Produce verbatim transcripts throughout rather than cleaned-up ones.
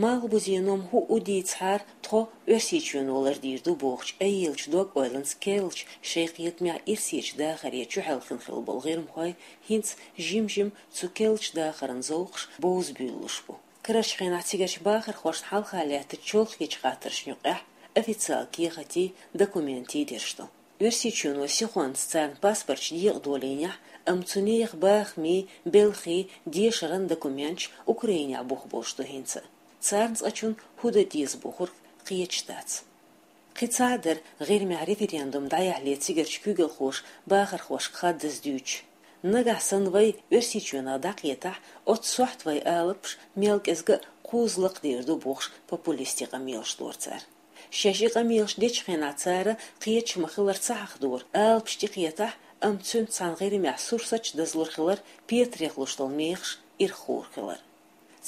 Малхбузен ном хӀуъу дийцахьара, тхо Оьрсийчоьно лардийр ду бохучу айъеллачу дог-ойланца керлачу шайн кхетамехь Ирсечу дахаре чухьаьлла хилла болу гӀирмахой хӀинца жим-жима цу керлачу дахаран зовкхаш бовза буьйлалуш бу. Карарчу хенахь цигарчу бахархошна хьалха лаьттачу чолхечу хаттаршна юкъехь официалан кехатий, документий дерш ду. Оьрсийчоьно сихонца царна паспорташ декъадолийнехь, амма цу нехан бахамийн, белхийн, дешаран документаш Украинехь бух болуш ду хӀинца. Царна цкъачунна хӀун дан деза бохург кхеташ дац. Кхин цхьа а дара, гӀирмехь референдум дӀаяхьале цигарчу куьйгалхоша бахархошка хаддаза дуьйцуш. Нагахь санна вай Оьрсийчоьнах дӀакхетахь, оццу сохьта вайн алапаш мел кӀезиг а кхузза лакхадийр ду бохуш, популистийн къамелаш дора цара. Шаьш и къамелаш дечу хенахь цара кхеташ ма-хиллара ца хьахдора, алапаш тӀекхетахь, амма цуьнца цхьаьна гӀирмехь сурсаташ дазлур хилар, петарехь луш долу мехаш ирхур хилар.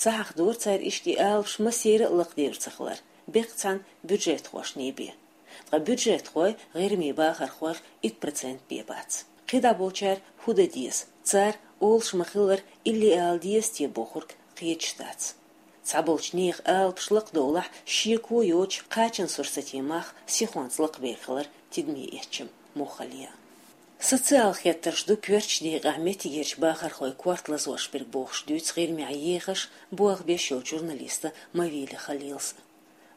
Ца хьахдора цара иштта и алапаш массеран а лакхадийр ца хилар, бехк цхьаьна бюджетхошна бен. Ткъа бюджетхой гӀирмийн бахархойх итт процент бен бац. КхидӀа болчара хӀун дан деза? Цара, олуш ма-хиллара, илли ала деза те бохург кхеташ дац. Цхьаболчу нехан алапаш лакхадовлахь, шеко йоцуш кхачан сурсатийн мах сихонца лакхабер хилар тидаме эцча муххале а. Социал хеттарш ду коьртачу декъехь меттигерчу бахархойн корта лазош берг бохуш дуьйцу гӀирмехь ехаш, болх беш йолчу журналиста Мавили Халилс.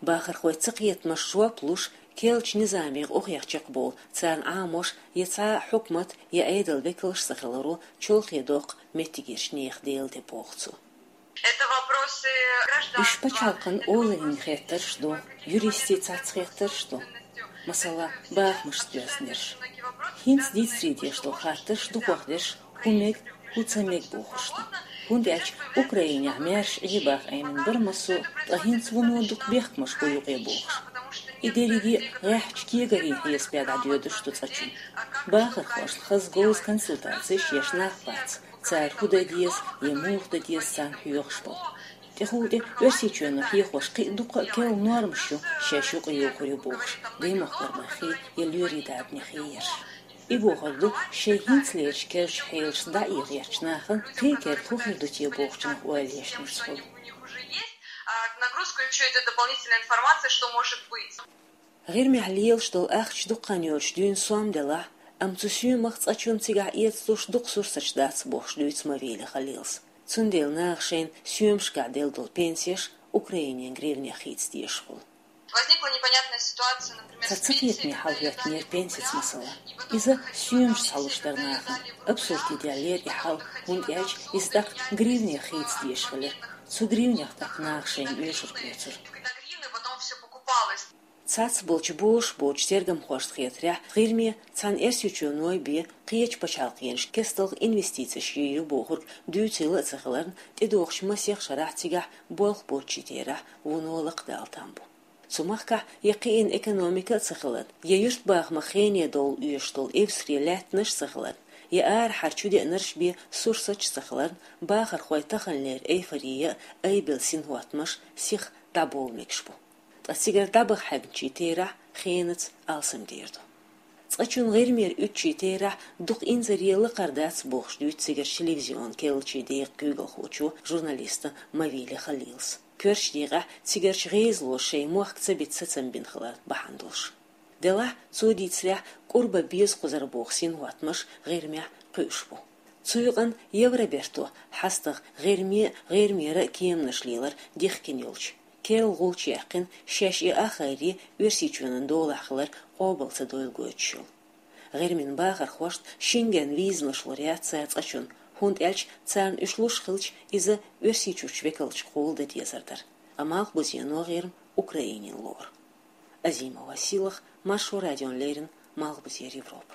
Бахархойн цакхетамашна жоп луш, керлачу низамех охьахиъна чекхбовлу царна Ӏамош я цхьа а хьукмат, я Ӏедалан векалш ца хиларо чолхе доккху меттигерчу нехан дела де боху цо. Это вопросы гражданства. Уьш пачхьалкхан олаллин хеттарш ду, юристийн цхьацца хеттарш ду. Масала, бахамашца доьзна дерш. ХӀинца дийцаре дезаш долу хаттарш дукхахдерш хӀун мега, хӀун ца мега бохуш ду. ХӀунда аьлча Украинехь маьрша Ӏен баха Ӏемина бара массо а, ткъа хӀинца вуно дукха бехкамаш бу юкъе бохуш. И дерриге а гӀеххьачу кегарийн хьесапехь дӀадоьдуш ду цкъачунна. Бахархошна хаза говза консультацеш еш нах бац, цара хӀун дан деза я муха дан деза царна хьоьхуш болу. ТӀехула тӀе Оьрсийчоьно хьехош кхин а дуккха а керла нормаш ю, шаьш юкъайохур ю бохуш, даймахкара бахе я лоьрийн дарбанехь ерш. И бохург ду, шайн хӀинцалерчу керлачу хьелашца дӀаэха гӀертачу нахана кхин а керла хӀун хир ду те бохучунах ойла еш нисбала. А, нагрузка ещё идёт дополнительная информация, что может быть. ГӀирмехь лелаш долу ахча дукха хан йоцуш дуьйна сом делахь, амма цу соьмах цкъачунна цигахь эцалуш дукха сурсаташ дац бохуш дуьйцу Мавили Халилс. Цундела наха шайна соьмашкахь делла долу пенсеш Украинин гривнех хийца дезаш хуьлу. Возникла непонятная ситуация, например, с пенсией. Цхьа цакхетаме хьал хӀоьттинера пенсица масала. Иза соьмаш схьалуш дара нахана. Абсурд даьллера и хьал, хӀунда аьлча иза тӀаккха гривнех хийца дезаш хилира. Цу гривнех тӀаккха наха шайна оьшург оьцура. Когда гривны, потом всё покупалось. Цхьацца болчу бозуш боцчу тергамхошна хетарехь, гӀирме цхьана Эрсийчоьно бен кхечу пачхьалкхенаш кестта инвестицеш йийр ю бохург дуьйцийла а ца хиларна, тӀедогӀучу масех шарахь цигахь болх боцчийн терахь вуно лакхадала там бу. Цу махкахь я кхиъна экономика а ца хиларна, я юьртбахамах хене довла оьшуш долу эвсаре лаьттанаш а ца хиларна, я арахьара чудеанарш бен сурсаташ а ца хиларна, бахархойн таханлера эйфория а, айбелла синхӀоттамаш сиха дӀабовла мегаш бу. Ткъа цигара дӀабаха хьаьгначийн терахь хенаца алсамдер ду. Цкъачунна гӀирмера уьдучийн терахь дукха инзаре лакхара дац бохуш дуьйцу цигарчу телевизион керлачийн декъан куьйгалхочо, журналиста Мавили Халилс. Коьртачу декъехь цигарчу гӀезалоша шайн мохк ца бита сацам бина хилар бахьана долуш. Делахь, цо дийцарехь, кӀур бан беза кхузара боху синхӀоттамаш гӀирмехь кхуьуш бу. Цу юкъанна Евроберто хьастагӀа гӀирме а, гӀирмера а кеманаш лелар дихкина йолчу, керла гӀулч яьккхина, шаьш и ахайре Оьрсийчоьнан долахь хилар къобал ца дойла гойтуш йолу. ГӀирмин бахархошна Шенген визанаш лур яц цара цкъачунна, хӀунда аьлча царна уьш луш хилча, иза Оьрсийчуьрчу векалшкахула дан дезар дара. Ткъа Малхбузено гӀирма Украинина лору. Азима Василах, Маршо радиона леррина, Малхбузера Европа.